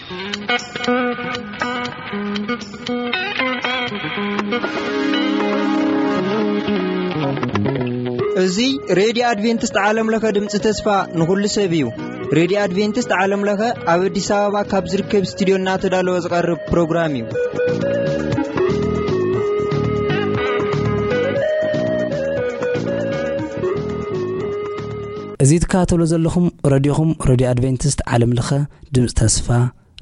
እዚ ሬድዮ ኣድቬንቲስት ዓለም ለኸ ድምፂ ተስፋ ንኹሉ ሰብ እዩ። ሬድዮ ኣድቬንቲስት ዓለም ለኸ ኣብ ኣዲስ ኣበባ ካብ ዝርከብ ስቱዲዮ እናተዳለወ ዝቐርብ ፕሮግራም እዩ። እዚ ትከታተሉ ዘለኹም ረድዮኹም፣ ረድዮ ኣድቬንቲስት ዓለም ለኸ ድምፂ ተስፋ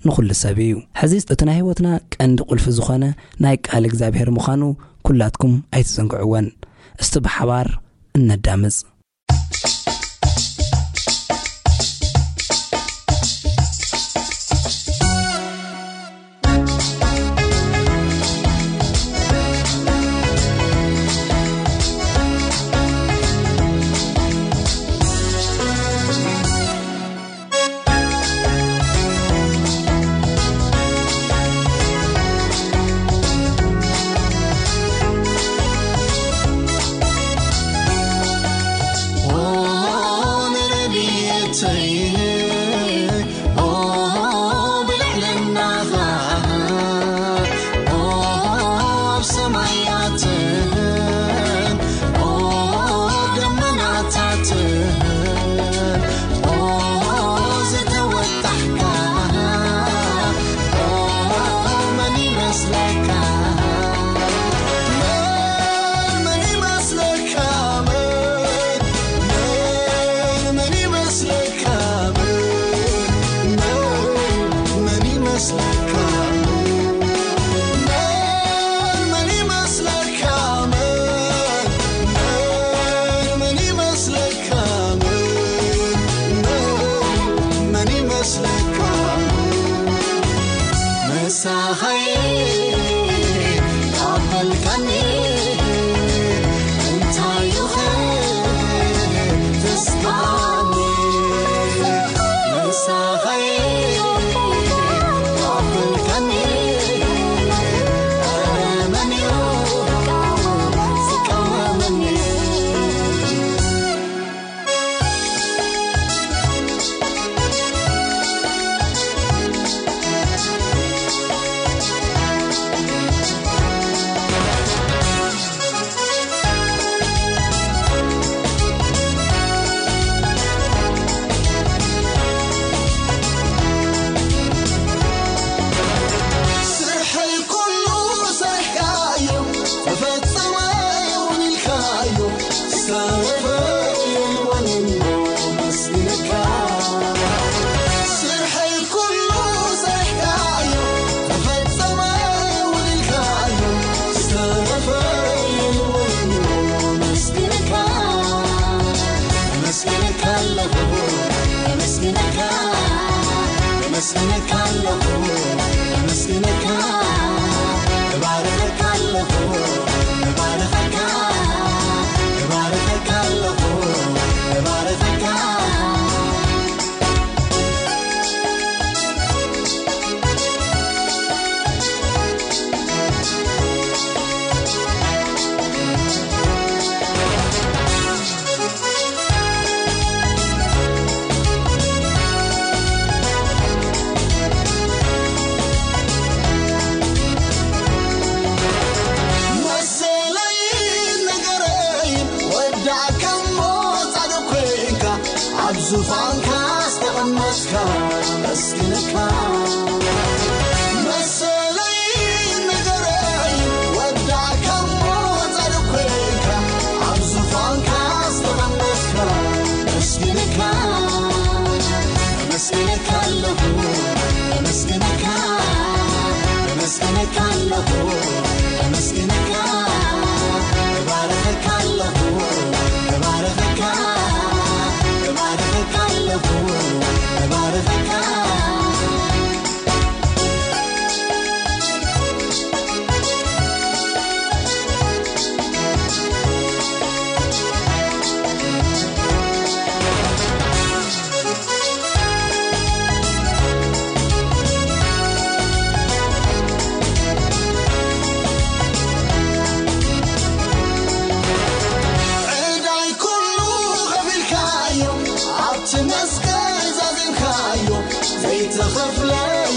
ንኹሉ ሰብ እዩ። ሕዚ እቲ ናይ ህይወትና ቀንዲ ቁልፊ ዝኾነ ናይ ቃል እግዚኣብሔር ምዃኑ ኩላትኩም ኣይትዘንግዕወን። እስቲ ብሓባር እነዳምፅ።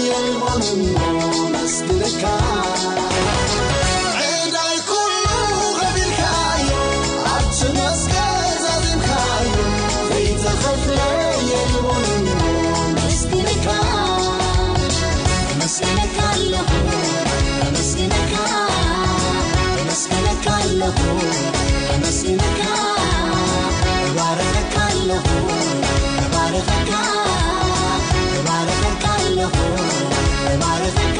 የልቦን እሞ መስግነካ። ዕዳይ ኩሉ ከፊልካዮ፣ ኣብቲ መስቀል ዛዚምካዮ፣ ዘይተኸፍለ የልቦን እሞ መስግነካ። ኣመስግነካ ኣለኹ፣ ኣመስግነካ፣ ኣመስግነካ ኣለኹ፣ ኣመስግነካ፣ እባርኸካ ኣለኹ፣ እባርኸካ፣ እባርኸካ ኣለኹ፣ እባርኸካ።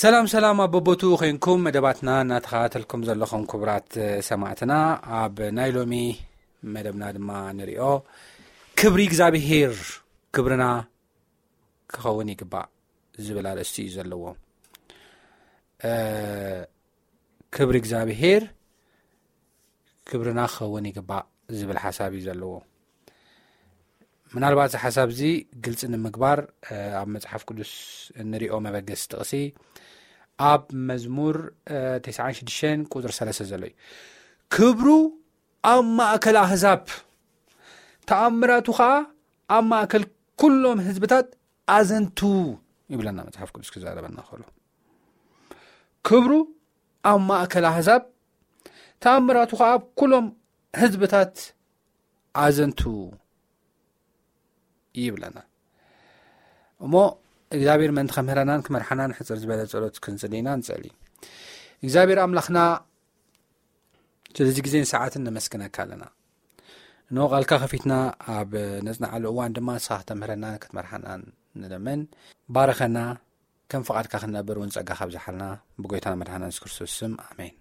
ሰላም ሰላም፣ ኣብ በቦቱ ኮይንኩም መደባትና እናተኸታተልኩም ዘለኹም ክቡራት ሰማዕትና፣ ኣብ ናይ ሎሚ መደብና ድማ ንሪኦ፣ ክብሪ እግዚኣብሄር ክብርና ክኸውን ይግባእ ዝብል ኣርእስቲ እዩ ዘለዎ። እ፣ ክብሪ እግዚኣብሄር ክብርና ክኸውን ይግባእ ዝብል ሓሳብ እዩ ዘለዎ። ምናልባት እዚ ሓሳብ እዚ ግልፂ ንምግባር፣ እ፣ ኣብ መፅሓፍ ቅዱስ እንሪኦ መበገሲ ጥቕሲ ኣብ መዝሙር፣ እ፣ ተስዓን ሽዱሽተን ቁፅሪ ሰለስተ ዘሎ እዩ። ክብሩ ኣብ ማእከል ኣህዛብ፣ ተኣምራቱ ኸዓ ኣብ ማእከል ኩሎም ህዝብታት ኣዘንቱ ይብለና መጽሓፍ ቅዱስ ክዛረበና ከሎ። ክብሩ ኣብ ማእከል ኣህዛብ፣ ተኣምራቱ ኸዓ ኣብ ኩሎም ህዝብታት ኣዘንቱ ይብለና። እሞ እግዚኣብሔር ምእንቲ ከምህረናን ክመርሓናን ሕጽር ዝበለ ጸሎት ክንጽሊ ኢና ንጸሊ። እግዚኣብሔር ኣምላኽና ስለዚ ግዜን ሰዓትን ነመስግነካ ኣለና። እንሆ ቃልካ ከፊትና ኣብ ነጽንዓሉ እዋን ድማ ንስኻ ከተምህረናን ክትመርሓናን ንለምን። ባርኸና፣ ከም ፍቓድካ ክንነብር እውን ጸጋ ካብዝሓልና ብጎይታና መድሓና የሱስ ክርስቶስ ስም ኣሜን።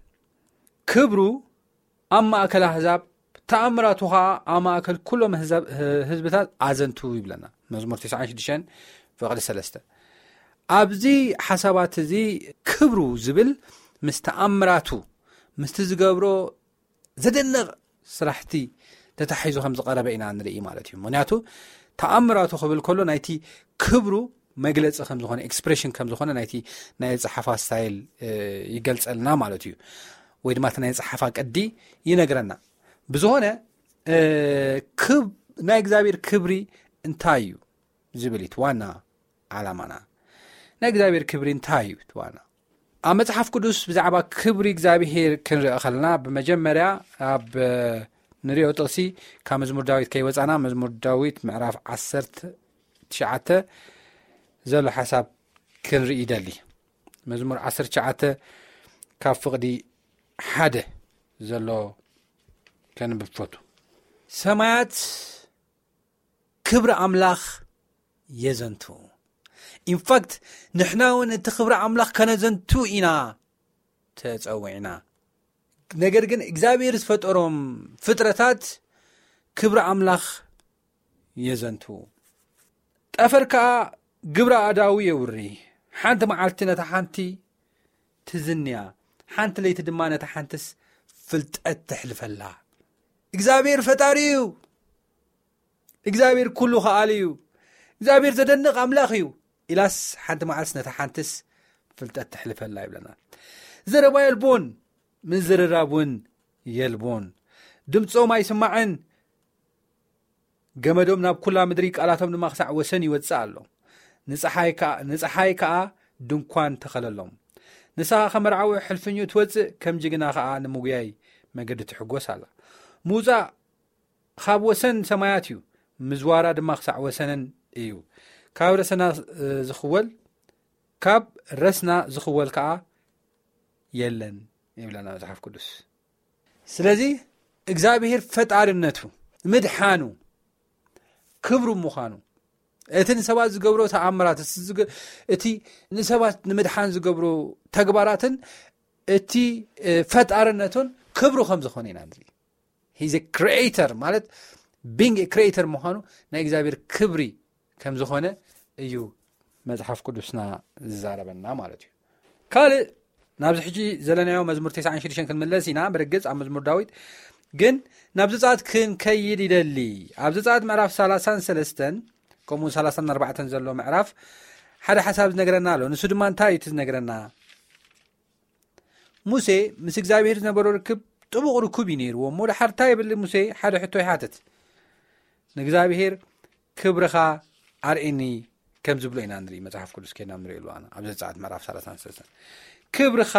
ክብሩ ኣብ ማእከል ኣህዛብ፣ ተኣምራቱ ኸኣ ኣብ ማእከል ኩሎም ህዛብ-፣ ህዝብታት ኣዘንቱ ይብለና መዝሙር ተስዓን ሽዱሽተን ፍቕዲ ሰለስተ። ኣብዚ ሓሳባት እዚ ክብሩ ዝብል ምስ ተኣምራቱ፣ ምስቲ ዝገብሮ ዘደንቕ ስራሕቲ ተታሒዙ ከም ዝቐረበ ኢና ንርኢ ማለት እዩ። ምኽንያቱ ተኣምራቱ ክብል ከሎ ናይቲ ክብሩ መግለጺ ከም ዝኾነ፣ ኤክስፕሬሽን ከም ዝኾነ ናይቲ ናይ ኣጸሓሕፋ ስታይል፣ እ፣ ይገልጸልና ማለት እዩ። ወይ ድማ እቲ ናይ ኣጸሓሕፋ ቅዲ ይነግረና። ብዝኾነ፣ እ፣ ክብ-፣ ናይ እግዚኣብሔር ክብሪ እንታይ እዩ ዝብል እዩ እቲ ዋና ዓላማና። ናይ እግዚኣብሔር ክብሪ እንታይ እዩ እቲ ዋና? ኣብ መጽሓፍ ቅዱስ ብዛዕባ ክብሪ እግዚኣብሔር ክንርኢ ከለና፣ ብመጀመርያ ኣብ፣ እ፣ ንሪኦ ጥቕሲ ካብ መዝሙር ዳዊት ከይወጻና፣ መዝሙር ዳዊት ምዕራፍ ዓሰርተ ትሽዓተ ዘሎ ሓሳብ ክንርኢ ይደሊ። መዝሙር ዓሰርተ ትሽዓተ ካብ ፍቕዲ ሓደ ዘሎ ከንብብ ፈቱ። ሰማያት ክብሪ ኣምላኽ የዘንቱ። ኢንፋክት ንሕና እውን እቲ ክብሪ ኣምላኽ ከነዘንቱ ኢና ተጸዊዕና። ነገር ግን እግዚኣብሔር ዝፈጠሮም ፍጥረታት ክብሪ ኣምላኽ የዘንቱ። ጠፈር ከኣ ግብረ ኣእዳዉ የውሪ። ሓንቲ መዓልቲ ነታ ሓንቲ ትዝንያ፣ ሓንቲ ለይቲ ድማ ነታ ሓንትስ ፍልጠት ተሕልፈላ። እግዚኣብሔር ፈጣሪ እዩ። እግዚኣብሔር ኩሉ ከኣሊ እዩ። እግዚኣብሔር ዘደንቕ ኣምላኽ እዩ። ኢላስ ሓንቲ መዓልትስ ነታ ሓንትስ ፍልጠት ተሕልፈላ ይብለና። ዘረባ የልቦን፣ ምዝርራብ እውን የልቦን። ድምጾም ኣይስማዕን። ገመዶም ናብ ኩላ ምድሪ፣ ቃላቶም ድማ ክሳዕ ወሰን ይወጽእ ኣሎ። ንጸሓይ ከኣ፣ ንጸሓይ ከኣ ድንኳን ተኸለሎም። ንሳ ከመርዓዊ ሕልፍኙ ትወጽእ፣ ከም ጅግና ከኣ ንምጉያይ መገዲ ትሕጎስ ኣላ። ምውጻእ ካብ ወሰን ሰማያት እዩ፣ ምዝዋራ ድማ ክሳዕ ወሰነን እዩ። ካብ ረሰና፣ እ፣ ዝኽወል፣ ካብ ረስና ዝኽወል ከኣ የለን ይብለና መጽሓፍ ቅዱስ። ስለዚ እግዚኣብሔር ፈጣሪነቱ፣ ምድሓኑ ክብሩ ምዃኑ፣ እቲ ንሰባት ዝገብሮ ተኣምራት፣ እቲ ዝገ-፣ እቲ ንሰባት ንምድሓን ዝገብሮ ተግባራትን እቲ፣ እ፣ ፈጣርነቱን ክብሩ ከም ዝኾነ ኢና ንርኢ። He's a creator ማለት being a creator ምዃኑ ናይ እግዚኣብሔር ክብሪ ከም ዝኾነ እዩ መጽሓፍ ቅዱስና ዝዛረበና ማለት እዩ። ካልእ ናብዚ ሕጂ ዘለናዮ መዝሙር ተስዓን ሽዱሽተን ክንምለስ ኢና። ብርግጽ ኣብ መዝሙር ዳዊት ግን ናብ ዘጸኣት ክንከይድ ይደሊ። ኣብ ዘጸኣት ምዕራፍ ሰላሳን ሰለስተን ከምኡ ሰላሳን ኣርባዕተን ዘሎ ምዕራፍ ሓደ ሓሳብ ዝነግረና ኣሎ። ንሱ ድማ እንታይ እዩ እቲ ዝነግረና? ሙሴ ምስ እግዚኣብሔር ዝነበሮ ርክብ ጥቡቕ ርኩብ እዩ ነይርዎ። እሞ ደሓር እንታይ ይብል? ሙሴ ሓደ ሕቶ ይሓትት። ንእግዚኣብሔር ክብርኻ ኣርእየኒ ከም ዝብሎ ኢና ንርኢ። መጽሓፍ ቅዱስ ኬድና ንርኢ ኣለዋና። ኣብ ዘጸኣት ምዕራፍ ሰላሳን ሰለስተን ክብርኻ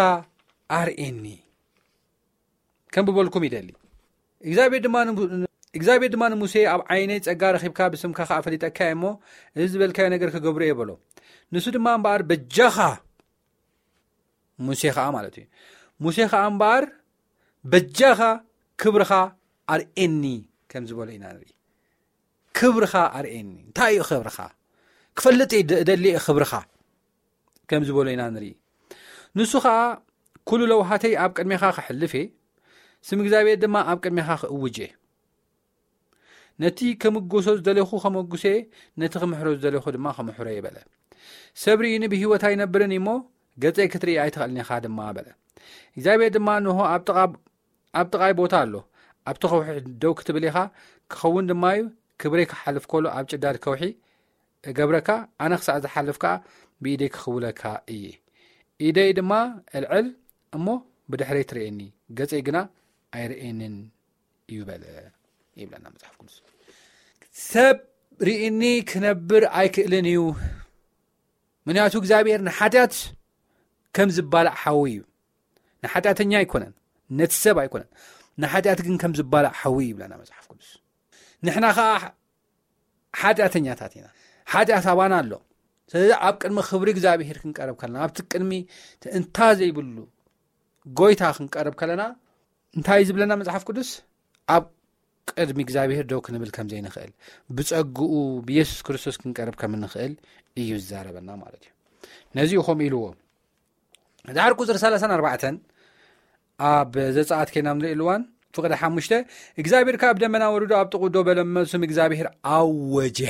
ኣርእየኒ ከም ብበልኩም ይደሊ። እግዚኣብሔር ድማ ንሙ-፣ እግዚኣብሔር ድማ ንሙሴ፣ "ኣብ ዓይነይ ጸጋ ረኺብካ፣ ብስምካ ኸዓ ፈሊጠካ እየ እሞ፣ እዚ ዝበልካዮ ነገር ክገብሮ እየ" በሎ። ንሱ ድማ እምበኣር በጃኻ፣ ሙሴ ኸዓ ማለት እዩ፣ ሙሴ ኸዓ እምበኣር በጃኻ ክብርኻ ኣርእየኒ ከም ዝበሎ ኢና ንርኢ። ክብርኻ ኣርእየኒ። እንታይ እዩ ክብርኻ? ክፈልጥ እየ ደ-፣ እደሊ እየ ክብርኻ ከም ዝበሎ ኢና ንርኢ። ንሱ ኸዓ፣ "ኩሉ ለውሃተይ ኣብ ቅድሜኻ ከሕልፍ እየ፣ ስም እግዚኣብሔር ድማ ኣብ ቅድሜኻ ክእውጅ እየ። ነቲ ከምጎሶ ዝደለኹ ከመጉሶ እየ፣ ነቲ ክምሕሮ ዝደለኹ ድማ ከመሕሮ እየ" በለ። "ሰብ ርኢኒ ብህይወት ኣይነብርን እዩ እሞ፣ ገጸይ ክትርኢ ኣይትኽእልን ኢኻ ድማ" በለ። እግዚኣብሔር ድማ፣ "እንሆ ኣብ ጥቓ፣ ኣብ ጥቓይ ቦታ ኣሎ፣ ኣብቲ ከውሒ ደው ክትብል ኢኻ፣ ክኸውን ድማ እዩ፣ ክብረይ ክሓልፍ ከሎ ኣብ ጭዳድ ከውሒ እገብረካ፣ ኣነ ክሳዕ ዝሓልፍ ከኣ ብኢደይ ክኽውለካ እየ። ኢደይ ድማ እልዕል እሞ ብድሕረይ ትርእየኒ፣ ገጸይ ግና ኣይርእየንን እዩ" በለ ይብለና መጽሓፍ ቅዱስ። ሰብ ርኢኒ ክነብር ኣይክእልን እዩ። ምክንያቱ እግዚኣብሔር ንሓጢኣት ከም ዝባላዕ ሓዊ እዩ። ንሓጢኣተኛ ኣይኮነን፣ ነቲ ሰብ ኣይኮነን፣ ንሓጢኣት ግን ከም ዝባላዕ ሓዊ እዩ ይብለና መጽሓፍ ቅዱስ። ንሕና ኸዓ ሓጢኣተኛታት ኢና። ሓጢኣት ኣባና ኣሎ። ስለዚ ኣብ ቅድሚ ክብሪ እግዚኣብሔር ክንቀርብ ከለና፣ ኣብቲ ቅድሚ እንታ ዘይብሉ ጎይታ ክንቀርብ ከለና፣ እንታይ እዩ ዝብለና መጽሓፍ ቅዱስ? ኣብ ቅድሚ እግዚኣብሔር ደው ክንብል ከም ዘይንኽእል፣ ብጸግኡ ብየሱስ ክርስቶስ ክንቀርብ ከም እንኽእል እዩ ዝዛረበና ማለት እዩ። ነዚ እዩ ከምኡ ኢልዎ። ድሓር ቁጽሪ ሰላሳን ኣርባዕተን ኣብ ዘጸኣት ኬና ንርኢ ኣለዋን፣ ፍቕዲ ሓሙሽተ፣ እግዚኣብሔር ካብ ደመና ወሪዱ ኣብ ጥቕኡ ደው በለ እሞ ስም እግዚኣብሔር ኣወጀ።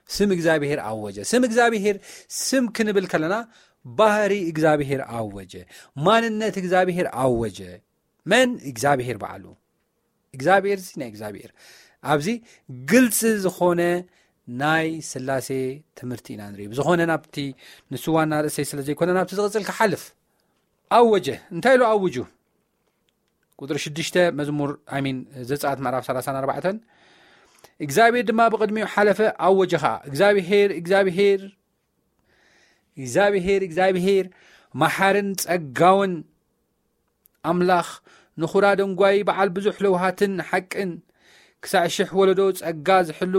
ስም እግዚኣብሔር ኣወጀ። ስም እግዚኣብሔር ስም ክንብል ከለና ባህሪ እግዚኣብሔር ኣወጀ። ማንነት እግዚኣብሔር ኣወጀ። መን? እግዚኣብሔር በዓሉ። እግዚኣብሔር እዚ ናይ እግዚኣብሔር። ኣብዚ ግልጺ ዝኾነ ናይ ስላሴ ትምህርቲ ኢና ንርኢ። ብዝኾነ ናብቲ ንሱ ዋና ርእሰይ ስለ ዘይኮነ ናብቲ ዝቕጽል ክሓልፍ ኣወጀ። እንታይ ኢሉ ኣውጁ? ቁጽሪ ሽዱሽተ መዝሙር፣ ኣይ ሚን፣ ዘጸኣት ምዕራፍ ሰላሳን ኣርባዕተን፣ እግዚኣብሔር ድማ ብቕድሚኡ ሓለፈ፣ ኣወጀ ኸኣ፣ "እግዚኣብሔር፣ እግዚኣብሔር፣ እግዚኣብሔር፣ እግዚኣብሔር፣ መሓርን ጸጋውን ኣምላኽ፣ ንኹራ ደንጓዪ፣ በዓል ብዙሕ ለውሃትን ሓቅን፣ ክሳዕ ሽሕ ወለዶ ጸጋ ዝሕሉ፣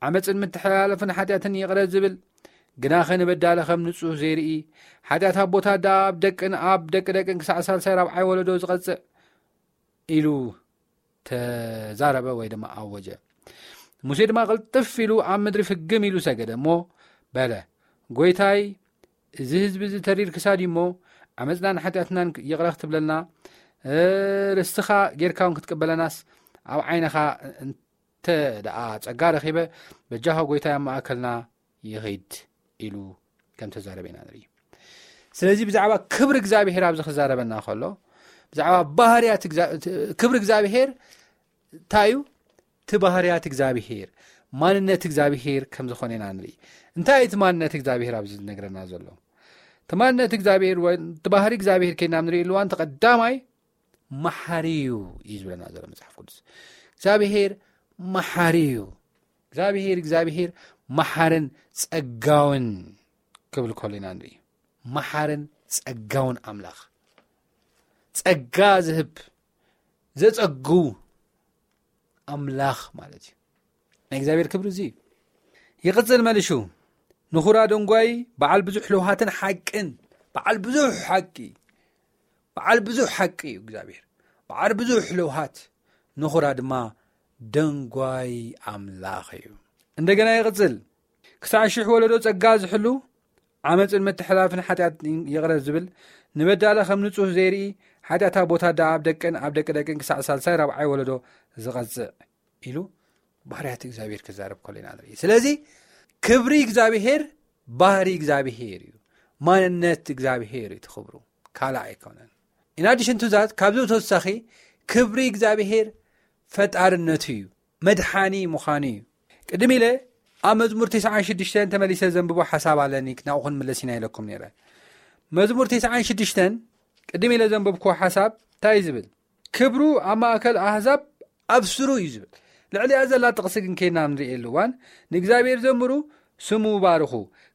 ዓመጽን ምትሕልላፍን ሓጢኣትን ይቕረ ዝብል፣ ግናኸ ንበዳሊ ከም ንጹህ ዘይርኢ፣ ሓጢኣት ኣቦታት ደኣ ኣብ ደቅን ኣብ ደቂ ደቅን ክሳዕ ሳልሳይ ራብዓይ ወለዶ ዝቐጽዕ" ኢሉ ተዛረበ ወይ ድማ ኣወጀ። ሙሴ ድማ ቅልጥፍ ኢሉ ኣብ ምድሪ ፍግም ኢሉ ሰገደ እሞ በለ፣ "ጎይታይ፣ እዚ ህዝቢ እዚ ተሪር ክሳድ እዩ እሞ፣ ዓመጽናን ሓጢኣትናን ይቕረ ክትብለልና፣ እ፣ ርስትኻ ጌርካ እውን ክትቅበለናስ ኣብ ዓይንኻ እንተ ደኣ ጸጋ ረኺበ፣ በጃኻ ጎይታይ ኣብ ማእከልና ይኺድ" ኢሉ ከም ተዛረበ ኢና ንርኢ። ስለዚ ብዛዕባ ክብሪ እግዚኣብሔር ኣብዚ ክዛረበና ከሎ፣ ብዛዕባ ባህርያት እግዛ-፣ ክብሪ እግዚኣብሔር እንታይ እዩ? እቲ ባህርያት እግዚኣብሔር፣ ማንነት እግዚኣብሔር ከም ዝኾነ ኢና ንርኢ። እንታይ እዩ እቲ ማንነት እግዚኣብሔር ኣብዚ ዝነግረና ዘሎ? እቲ ማንነት እግዚኣብሔር ወይ እቲ ባህሪ እግዚኣብሔር ኬድና ንርኢ ኣለዋን፣ እቲ ቀዳማይ መሓሪ እዩ እዩ ዝብለና ዘሎ መጽሓፍ ቅዱስ። እግዚኣብሔር መሓሪ እዩ። እግዚኣብሔር፣ እግዚኣብሔር መሓርን ጸጋውን ክብል ከሎ ኢና ንርኢ። መሓርን ጸጋውን ኣምላኽ፣ ጸጋ ዝህብ፣ ዘጸጉ ኣምላኽ ማለት እዩ። ናይ እግዚኣብሔር ክብሪ እዚ እዩ። ይቕጽል መሊሹ፣ "ንኹራ ደንጓይ፣ በዓል ብዙሕ ለውሃትን ሓቅን"፣ በዓል ብዙሕ ሓቂ፣ በዓል ብዙሕ ሓቂ እዩ እግዚኣብሔር፣ በዓል ብዙሕ ለውሃት፣ ንኹራ ድማ ደንጓይ ኣምላኽ እዩ። እንደገና ይቕጽል። ክሳዕ ሽሕ ወለዶ ጸጋ ዝሕሉ፣ ዓመፅን ምትሕላፍን ሓጢኣት ይቕረ ዝብል፣ ንበዳለ ከም ንጹህ ዘይርኢ፣ ሓጢኣታ ቦታ ደኣ ኣብ ደቅን ኣብ ደቂ ደቅን ክሳዕ ሳልሳይ ራብዓይ ወለዶ ዝቐጽዕ ኢሉ ባህርያት እግዚኣብሔር ክዛረብ ከሎ ኢና ንርኢ። ስለዚ ክብሪ እግዚኣብሔር ባህሪ እግዚኣብሔር እዩ። ማንነት እግዚኣብሔር እዩ እቲ ክብሩ፣ ካልእ ኣይኮነን። In addition to that፣ ካብዚ ተወሳኺ ክብሪ እግዚኣብሔር ፈጣርነቱ እዩ፣ መድሓኒ ምዃኑ እዩ። ቅድም ኢለ ኣብ መዝሙር ተስዓን ሽዱሽተን ተመሊሰ ዘንብቦ ሓሳብ ኣለኒ፣ ናብኡ ክንምለስ ኢና ኢለኩም ነይረ። መዝሙር ተስዓን ሽዱሽተን ቅድም ኢለ ዘንበብኩዎ ሓሳብ እንታይ እዩ ዝብል? ክብሩ ኣብ ማእከል ኣህዛብ ኣብ ስሩ እዩ ዝብል። ልዕሊኣ ዘላ ጥቕሲ ግን ከይድና ንርእየሉ እዋን፣ ንእግዚኣብሔር ዘምሩ፣ ስሙ ባርኹ፣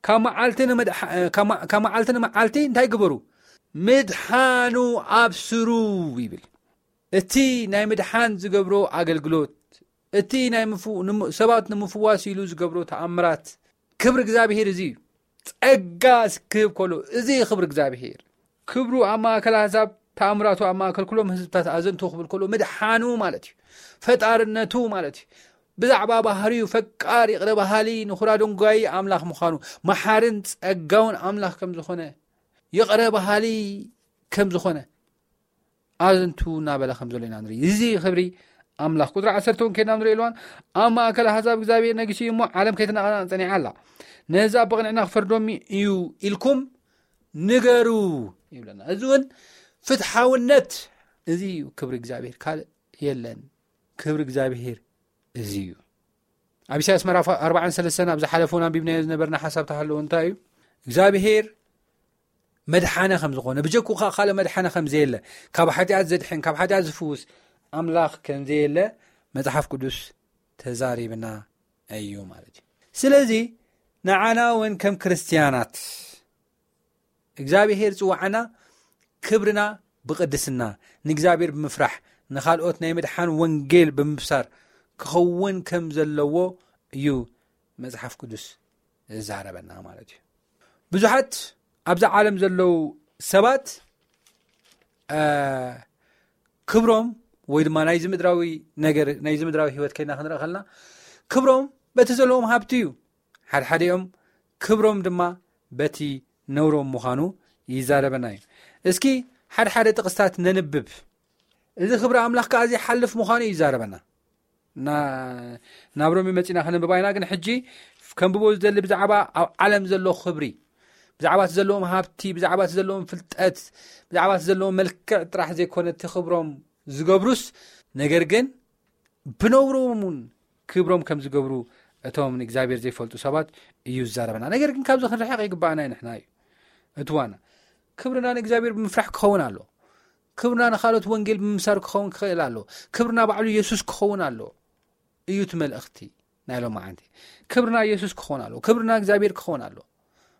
ካብ መዓልቲ ንመድሓ-፣ ካብ መ-፣ ካብ መዓልቲ ንመዓልቲ እንታይ ግበሩ? ምድሓኑ ኣብ ስሩ ይብል። እቲ ናይ ምድሓን ዝገብሮ ኣገልግሎት፣ እቲ ናይ ምፉ-፣ ንሙ-፣ ሰባት ንምፍዋስ ኢሉ ዝገብሮ ተኣምራት፣ ክብሪ እግዚኣብሔር እዚ እዩ። ጸጋ ክህብ ከሎ፣ እዚ ክብሪ እግዚኣብሔር። ክብሩ ኣብ ማእከል ኣህዛብ፣ ተኣምራቱ ኣብ ማእከል ኩሎም ህዝብታት ኣዘንቱ ክብል ከሎ፣ ምድሓኑ ማለት እዩ። ፈጣርነቱ ማለት እዩ። ብዛዕባ ባህሪኡ ፈቃር፣ ይቕረ በሃሊ፣ ንኹራ ደንጓዪ ኣምላኽ ምዃኑ፣ መሓርን ጸጋውን ኣምላኽ ከም ዝኾነ፣ ይቕረ በሃሊ ከም ዝኾነ፣ ኣዘንቱ እናበለ ከም ዘሎ ኢና ንርኢ። እዚ ክብሪ ኣምላኽ። ቁጽሪ ዓሰርተ እውን ከይድና ንርኢ ኣለዋን፣ ኣብ ማእከል ኣህዛብ እግዚኣብሔር ነጊሱ እዩ እሞ፣ ዓለም ከይተናቐነቐ ጸኒዓ ኣላ። ነህዛብ ብቕንዕና ክፈርዶም እዩ ኢልኩም ንገሩ ይብለና። እዚ እውን ፍትሓውነት፣ እዚ እዩ ክብሪ እግዚኣብሔር፣ ካልእ የለን። ክብሪ እግዚኣብሔር እዚ እዩ። ኣብ ኢሳያስ ምዕራፍ ኣርባዓን ሰለስተን ኣብ ዝሓለፈ እውን ኣንቢብናዮ ዝነበርና ሓሳብ ተሃለወ እንታይ እዩ? እግዚኣብሔር መድሓነ ከም ዝኾነ፣ ብጀኩ ከዓ ካልእ መድሓነ ከም ዘየለ፣ ካብ ሓጢኣት ዘድሕን፣ ካብ ሓጢኣት ዝፍውስ ኣምላኽ ከም ዘየለ መጽሓፍ ቅዱስ ተዛሪብና እዩ ማለት እዩ። ስለዚ ንዓና እውን ከም ክርስትያናት እግዚኣብሔር ዝጽውዓና ክብርና ብቕድስና፣ ንእግዚኣብሔር ብምፍራሕ፣ ንኻልኦት ናይ ምድሓን ወንጌል ብምብሳር ክኸውን ከም ዘለዎ እዩ መጽሓፍ ቅዱስ ዝዛረበና ማለት እዩ። ብዙሓት ኣብዛ ዓለም ዘለዉ ሰባት፣ እ፣ ክብሮም ወይ ድማ ናይዚ ምድራዊ ነገር፣ ናይዚ ምድራዊ ህይወት ከይና ክንርኢ ከለና፣ ክብሮም በቲ ዘለዎም ሃብቲ እዩ። ሓድሓዲኦም ክብሮም ድማ በቲ ነውሮም ምዃኑ ይዛረበና እዩ። እስኪ ሓድሓደ ጥቕስታት ነንብብ። እዚ ክብሪ ኣምላኽ ከኣ ዘይሓልፍ ምዃኑ እዩ ይዛረበና። ና-፣ ናብ ሮሜ መጺና ከነንብባ ኢና፣ ግን ሕጂ ከንብቦ ዝደሊ ብዛዕባ ኣብ ዓለም ዘሎ ክብሪ፣ ብዛዕባ እቲ ዘለዎም ሃብቲ፣ ብዛዕባ እቲ ዘለዎም ፍልጠት፣ ብዛዕባ እቲ ዘለዎም መልክዕ ጥራሕ ዘይኮነ እቲ ክብሮም ዝገብሩስ፣ ነገር ግን ብነውሮም እውን ክብሮም ከም ዝገብሩ እቶም ንእግዚኣብሔር ዘይፈልጡ ሰባት እዩ ዝዛረበና። ነገር ግን ካብዚ ክንርሕቕ ይግባኣና እዩ። ንሕና እዩ እቲ ዋና። ክብርና ንእግዚኣብሔር ብምፍራሕ ክኸውን ኣሎ። ክብርና ንኻልኦት ወንጌል ብምምሳር ክኸውን ክኽእል ኣሎ። ክብርና ባዕሉ የሱስ ክኸውን ኣሎ እዩ እቲ መልእኽቲ ናይ ሎማዓንቲ። ክብርና የሱስ ክኸውን ኣሎ። ክብርና እግዚኣብሔር ክኸውን ኣሎ።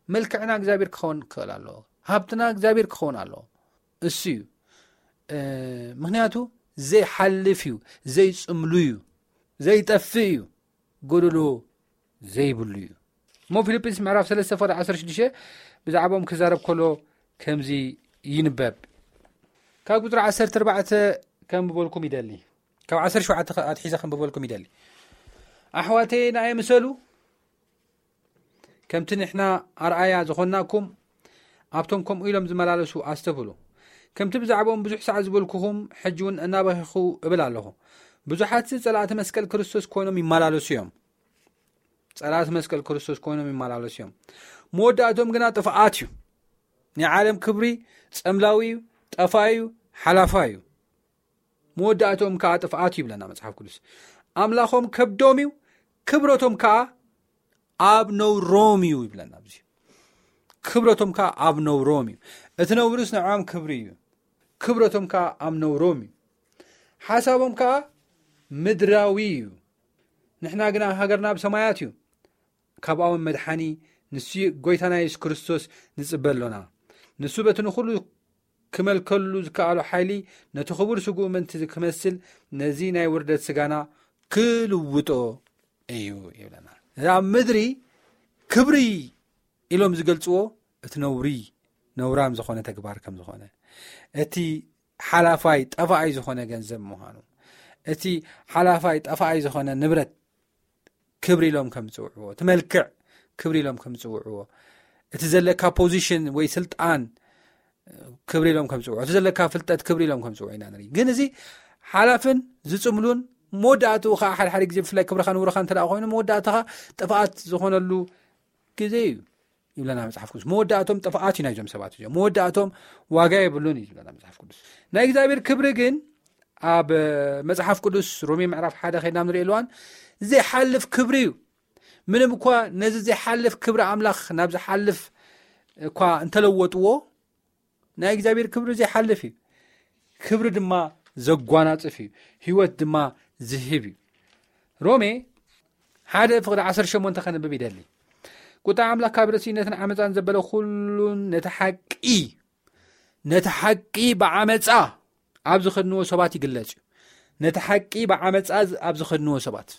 መልክዕና እግዚኣብሔር ክኸውን ክኽእል ኣሎ። ሃብትና እግዚኣብሔር ክኸውን ኣሎ። እሱ እዩ። እ፣ ምኽንያቱ ዘይሓልፍ እዩ፣ ዘይጽምሉ እዩ፣ ዘይጠፍእ እዩ፣ ጎደሎ ዘይብሉ እዩ። እሞ ፊልጵስ ምዕራፍ ሰለስተ ፍቕዲ ዓሰርተ ሽዱሽተ ብዛዕባኦም ክዛረብ ከሎ ከምዚ ይንበብ። ካብ ቁጽሪ ዓሰርተ ኣርባዕተ ከንብበልኩም ይደሊ። ካብ ዓሰርተ ሸውዓተ ኣትሒዘ ከንብበልኩም ይደሊ። ኣሕዋተየ፣ ንኣየ ምሰሉ፣ ከምቲ ንሕና ኣርኣያ ዝኾንናኩም፣ ኣብቶም ከምኡ ኢሎም ዝመላለሱ ኣስተብህሉ። ከምቲ ብዛዕባኦም ብዙሕ ሰዓት ዝበልኩኹም፣ ሕጂ እውን እናበኺኹ እብል ኣለኹ። ብዙሓትሲ ጸላእቲ መስቀል ክርስቶስ ኮይኖም ይመላለሱ እዮም። ጸላእቲ መስቀል ክርስቶስ ኮይኖም ይመላለሱ እዮም። መወዳእቶም ግና ጥፍኣት እዩ። ናይ ዓለም ክብሪ ጸምላዊ እዩ፣ ጠፋኢ እዩ፣ ሓላፋ እዩ። መወዳእቶም ከኣ ጥፍኣት እዩ ይብለና መጽሓፍ ቅዱስ። ኣምላኾም ከብዶም እዩ፣ ክብረቶም ከኣ ኣብ ነውሮም እዩ ይብለና ኣብዚ። ክብረቶም ከኣ ኣብ ነውሮም እዩ። እቲ ነውርስ ንዕኦም ክብሪ እዩ፣ ክብረቶም ከኣ ኣብ ነውሮም እዩ። ሓሳቦም ከኣ ምድራዊ እዩ። ንሕና ግና ሃገርና ኣብ ሰማያት እዩ። ካብኣውን መድሓኒ ንሱ ጎይታና የሱስ ክርስቶስ ንጽበ ኣሎና። ንሱ በቲ ንኹሉ ክመልከሉ ዝከኣሎ ሓይሊ ነቲ ክቡር ስግኡ ምእንቲ ክመስል ነዚ ናይ ውርደት ስጋና ክልውጦ እዩ ይብለና። ኣብ ምድሪ ክብሪ ኢሎም ዝገልጽዎ እቲ ነውሪ፣ ነውራም ዝኾነ ተግባር ከም ዝኾነ፣ እቲ ሓላፋይ ጠፋኣይ ዝኾነ ገንዘብ ምዃኑ፣ እቲ ሓላፋይ ጠፋኣይ ዝኾነ ንብረት ክብሪ ኢሎም ከም ዝጽውዕዎ፣ እቲ መልክዕ ክብሪ ኢሎም ከም ዝጽውዕዎ፣ እቲ ዘለካ ፖዚሽን ወይ ስልጣን ክብሪ ኢሎም ከም ዝጽውዕዎ፣ እቲ ዘለካ ፍልጠት ክብሪ ኢሎም ከም ዝጽውዕዎ ኢና ንርኢ። ግን እዚ ሓላፍን ዝጽምሉን መወዳእትኡ ከዓ ሓደ ሓደ ግዜ ብፍላይ ክብርኻ ንብረኻ እንተ ደኣ ኮይኑ መወዳእትኻ ጥፍኣት ዝኾነሉ ግዜ እዩ ይብለና መጽሓፍ ቅዱስ። መወዳእቶም ጥፍኣት እዩ ናይዞም ሰባት እዚኦም። መወዳእቶም ዋጋ የብሉን እዩ ዝብለና መጽሓፍ ቅዱስ። ናይ እግዚኣብሔር ክብሪ ግን ኣብ መጽሓፍ ቅዱስ ሮሜ ምዕራፍ ሓደ ከይድና ንሪኦ ኣለዋን ዘይሓልፍ ክብሪ እዩ። ምንም እኳ ነዚ ዘይሓልፍ ክብሪ ኣምላኽ ናብ ዝሓልፍ እኳ እንተለወጥዎ ናይ እግዚኣብሔር ክብሪ ዘይሓልፍ እዩ። ክብሪ ድማ ዘጓናጽፍ እዩ። ህይወት ድማ ዝህብ እዩ። ሮሜ ሓደ ፍቕዲ ዓሰርተ ሸሞንተ ከንብብ ይደሊ። ቁጣ ኣምላኽ ካብ ርእሲነትን ዓመፃን ዘበለ ኩሉን ነቲ ሓቂ ነቲ ሓቂ ብዓመፃ ኣብ ዝኸድንዎ ሰባት ይግለጽ እዩ። ነቲ ሓቂ ብዓመፃ ኣብ ዝኸድንዎ ሰባት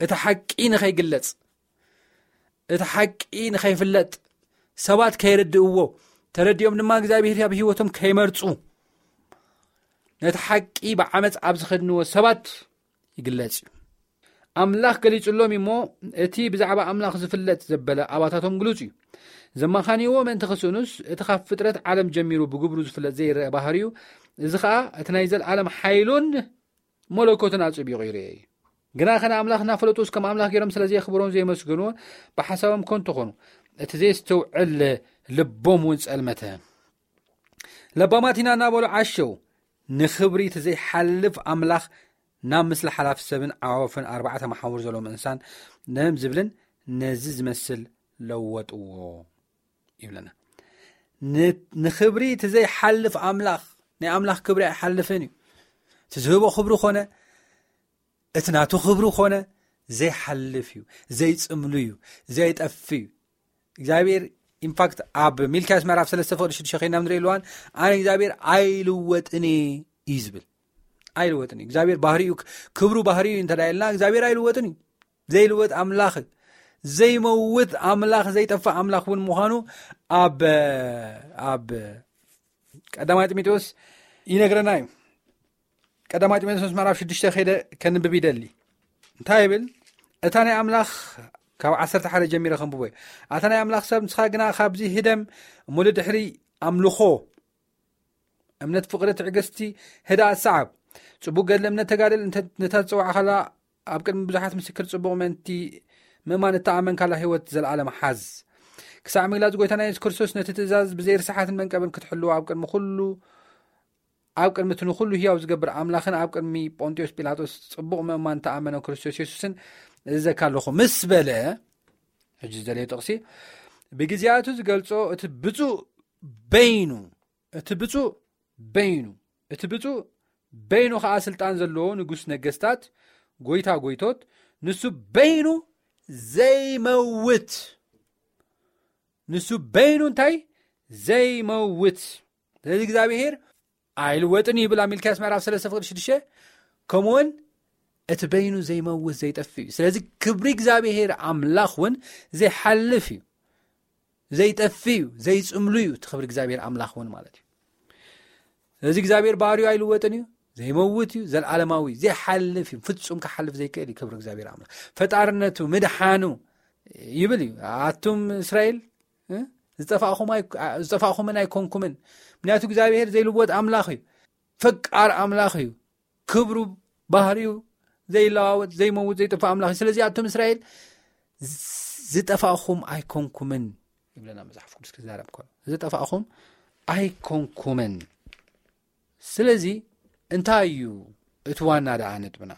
እቲ ሓቂ ንኸይግለጽ እቲ ሓቂ ንኸይፍለጥ ሰባት ከይርድእዎ ተረዲኦም ድማ እግዚኣብሔር ኣብ ህይወቶም ከይመርፁ ነቲ ሓቂ ብዓመፅ ኣብ ዝኸድንዎ ሰባት ይግለጽ እዩ። ኣምላኽ ገሊጹሎም እሞ እቲ ብዛዕባ ኣምላኽ ዝፍለጥ ዘበለ ኣባታቶም ግሉጽ እዩ። ዘማኻንይዎ ምእንቲ ክስእኑስ እቲ ካብ ፍጥረት ዓለም ጀሚሩ ብግብሩ ዝፍለጥ ዘይረአ ባህርዩ እዚ ኸኣ እቲ ናይ ዘለዓለም ሓይሉን መለኮትን ኣጽቢቑ ይርኤ እዩ። ግና ኸነ ኣምላኽ እናፈለጡ ከም ኣምላኽ ገይሮም ስለ ዘየኽብሮን ዘየመስገንዎ ብሓሳቦም ከንቱ ኾኑ። እቲ ዘየስተውዕል ልቦም እውን ጸልመተ። ለባማት ኢና እናበሉ ዓሸው። ንኽብሪ እቲ ዘይሓልፍ ኣምላኽ ናብ ምስሊ ሓላፍ ሰብን ዓዋፍን ኣርባዕተ መሓውር ዘለዎም እንስሳን ነም ዝብልን ነዚ ዝመስል ለወጥዎ ይብለና። ንኽብሪ እቲ ዘይሓልፍ ኣምላኽ ናይ ኣምላኽ ክብሪ ኣይሓልፍን እዩ። እቲ ዝህቦ ክብሪ ኮነ እቲ ናቱ ክብሪ ኮነ ዘይሓልፍ እዩ፣ ዘይጽምሉ እዩ፣ ዘይጠፍ እዩ። እግዚኣብሔር ኢንፋክት ኣብ ሚልክያስ ምዕራፍ ሰለስተ ፍቕዲ ሽዱሽተ ከይና ንርኢ ኣለዋን ኣነ እግዚኣብሔር ኣይልወጥን እዩ ዝብል። ኣይልወጥን እዩ እግዚኣብሔር ባህሪኡ፣ ክብሩ ባህሪኡ እንተ ኢልና እግዚኣብሔር ኣይልወጥን እዩ። ዘይልወጥ ኣምላኽ እዩ። ዘይመውት ኣምላኽ ዘይጠፍእ ኣምላኽ እውን ምዃኑ ኣብ ኣብ ቀዳማይ ጢሞቴዎስ ይነግረና እዩ። ቀዳማይ ጢሞቴዎስ ምዕራፍ ሽዱሽተ ከይደ ከንብብ ይደሊ። እንታይ ይብል? እታ ናይ ኣምላኽ ካብ ዓሰርተ ሓደ ጀሚረ ከንብቦ እዩ። ኣታ ናይ ኣምላኽ ሰብ ንስኻ ግና ካብዚ ህደም እሞ ድሕሪ ኣምልኾ እምነት ፍቕሪ ትዕግስቲ ህዳ ኣሰዓብ ጽቡቅ ገድሊ እምነት ተጋደል ነታ ዝጸዋዕካላ ኣብ ቅድሚ ብዙሓት ምስክር ጽቡቕ ምእንቲ ምእማን እተኣመንካላ ህይወት ዘለኣለም ሓዝ። ክሳዕ ምግላጽ ጎይታና የሱስ ክርስቶስ ነቲ ትእዛዝ ብዘይ ርስሓትን መንቀብን ክትሕልዎ ኣብ ቅድሚ ኩሉ ኣብ ቅድሚ እቲ ንኹሉ ህያው ዝገብር ኣምላኽን ኣብ ቅድሚ ጶንጢዮስ ጲላጦስ ጽቡቕ ምእማን እተኣመነ ክርስቶስ የሱስን እእዘካ ኣለኹ ምስ በለ ሕጂ ዝደለዮ ጥቕሲ ብግዜያቱ ዝገልጾ እቲ ብፁእ በይኑ እቲ ብፁእ በይኑ እቲ ብፁእ በይኑ ኸዓ ስልጣን ዘለዎ ንጉስ ነገስታት ጎይታ ጎይቶት ንሱ በይኑ ዘይመውት ንሱ በይኑ እንታይ ዘይመውት ስለዚ እግዚኣብሔር ኣይልወጥን ይብል ኣብ ሚልክያስ ምዕራፍ ሰለስተ ፍቅዲ ሽዱሽተ ከምኡውን እቲ በይኑ ዘይመውት ዘይጠፍ እዩ ስለዚ ክብሪ እግዚኣብሔር ኣምላኽ እውን ዘይሓልፍ እዩ ዘይጠፍ እዩ ዘይፅምሉ እዩ እቲ ክብሪ እግዚኣብሔር ኣምላኽ እውን ማለት እዩ ስለዚ እግዚኣብሔር ባህሪኡ ኣይልወጥን እዩ ዘይመውት እዩ ዘለዓለማዊ ዘይሓልፍ እዩ ፍፁም ክሓልፍ ዘይክእል እዩ ክብሪ እግዚኣብሔር ኣምላኽ ፈጣርነቱ ምድሓኑ ይብል እዩ ኣቱም እስራኤል ዝጠፋእኹምን ኣይኮንኩምን ምክንያቱ እግዚኣብሔር ዘይልወጥ ኣምላኽ እዩ ፈቃር ኣምላኽ እዩ ክብሩ ባህሪኡ ዘይለዋወጥ ዘይመውት ዘይጠፋእ ኣምላኽ እዩ ስለዚ ኣቱም እስራኤል ዝጠፋእኹም ኣይኮንኩምን ይብለና መፅሓፍ ቅዱስ ክዛረብ ከሎ ዝጠፋእኹም ኣይኮንኩምን ስለዚ እንታይ እዩ እቲ ዋና ደኣ ነጥብና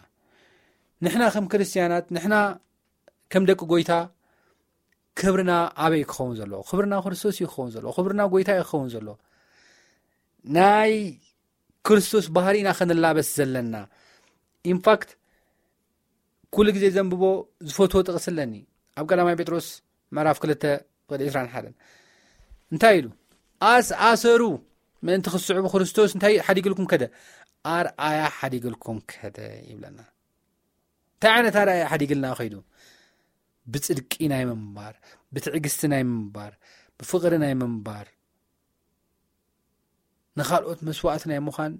ንሕና ከም ክርስትያናት ንሕና ከም ደቂ ጎይታ ክብርና ኣበይ ክኸውን ዘለዎ ክብርና ክርስቶስ እዩ ክኸውን ዘለዎ ክብርና ጎይታ እዩ ክኸውን ዘለዎ ናይ ክርስቶስ ባህሪ ኢና ክንላበስ ዘለና ኢንፋክት ኩሉ ግዜ ዘንብቦ ዝፈትዎ ጥቕሲ ኣለኒ ኣብ ቀዳማይ ጴጥሮስ ምዕራፍ ክልተ ቅዲ ዕስራን ሓደን እንታይ ኢሉ ኣስ ኣሰሩ ምእንቲ ክስዕቡ ክርስቶስ እንታይ ሓዲግልኩም ከደ ኣርኣያ ሓዲግልኩም ከደ ይብለና እንታይ ዓይነት ኣርኣያ ሓዲግልና ከይዱ ብፅድቂ ናይ ምንባር ብትዕግስቲ ናይ ምንባር ብፍቕሪ ናይ ምንባር ንኻልኦት መስዋእቲ ናይ ምዃን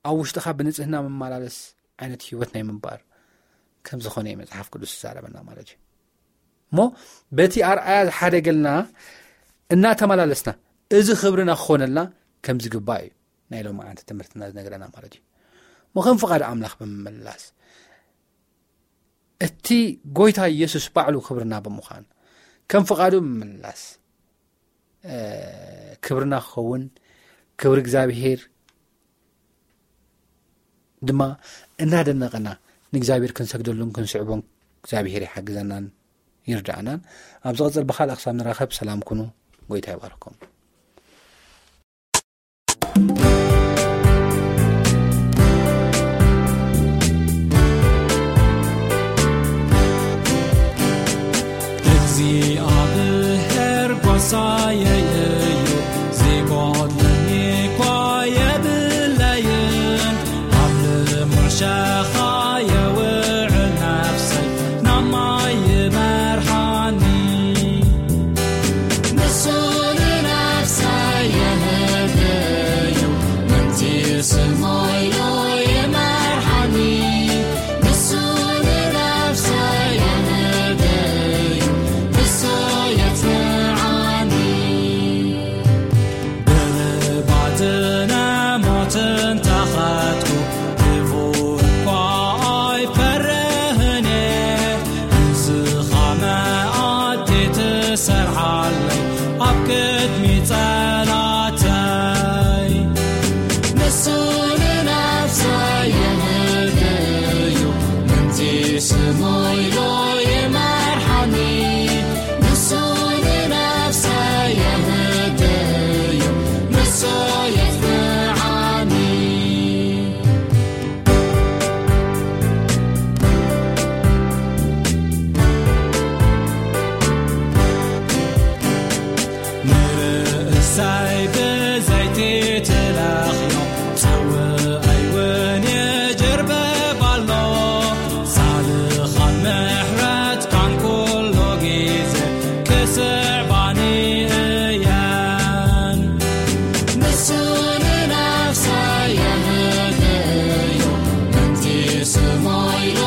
ኣብ ውሽጥኻ ብንፅህና መመላለስ ዓይነት ህይወት ናይ ምንባር ከም ዝኾነ እዩ መጽሓፍ ቅዱስ ዝዛረበና ማለት እዩ። እሞ በቲ ኣርኣያ ዝሓደገልና እናተመላለስና፣ እዚ ክብርና ክኾነልና ከም ዝግባእ እዩ ናይ ሎማዓንቲ ትምህርትና ዝነግረና ማለት እዩ። እሞ ከም ፍቓድ ኣምላኽ ብምምላስ፣ እቲ ጎይታ ኢየሱስ ባዕሉ ክብርና ብምዃን፣ ከም ፍቓዱ ብምምላስ፣ እ፣ ክብርና ክኸውን፣ ክብሪ እግዚኣብሔር ድማ እናደነቐና ንእግዚኣብሔር ክንሰግደሉን ክንስዕቦን እግዚኣብሔር ይሓግዘናን ይርዳእናን። ኣብ ዝቐጽል ብኻልእ ክሳብ ንራኸብ ሰላም ኩኑ። ጎይታ ይባርኩም። እግዚኣብሔር ጓሳየ እዩ፣ ዝጎድለኒ እኳ የብለይን። ኣብ ልሙዕ ሸኻ የውዕል ነፍሰይ፣ ናብ ማይ ይመርሓኒ። ንሱ ንነፍሰይ የህድዩ፣ ምእንቲ ስሙ ኢሉ ይመርሓኒ። ንሱ ንነፍሰይ የህድዩ፣ ንሱ የጽንዓኒ። ብርባጽን ሞትን ተኸትኩ፣ ክፉእ እኳ ኣይፈርህን እየ። ንስኻ መኣዲ ትሰርሓለይ ኣብ ቅድሚ ጸላእተይ። ንሱ ንነፍሰይ የህድዩ፣ ምእንቲ ስሙ ኢሉ ይመርሓኒ። ንሱ ንነፍሰይ የህድዩ፣ ንሱ የጽንዓኒ። ንርእሰይ ብዘይቲ ትለኽዮ፣ ጽውኣይ እውን ይጅርብብ ኣሎ። ሳልኻን ምሕረትካን ኩሉ ግዜ ክስዕባኒ እየን። ንሱ ንነፍሰይ የህድዮ፣ ምእንቲ ስሙ ኢሉ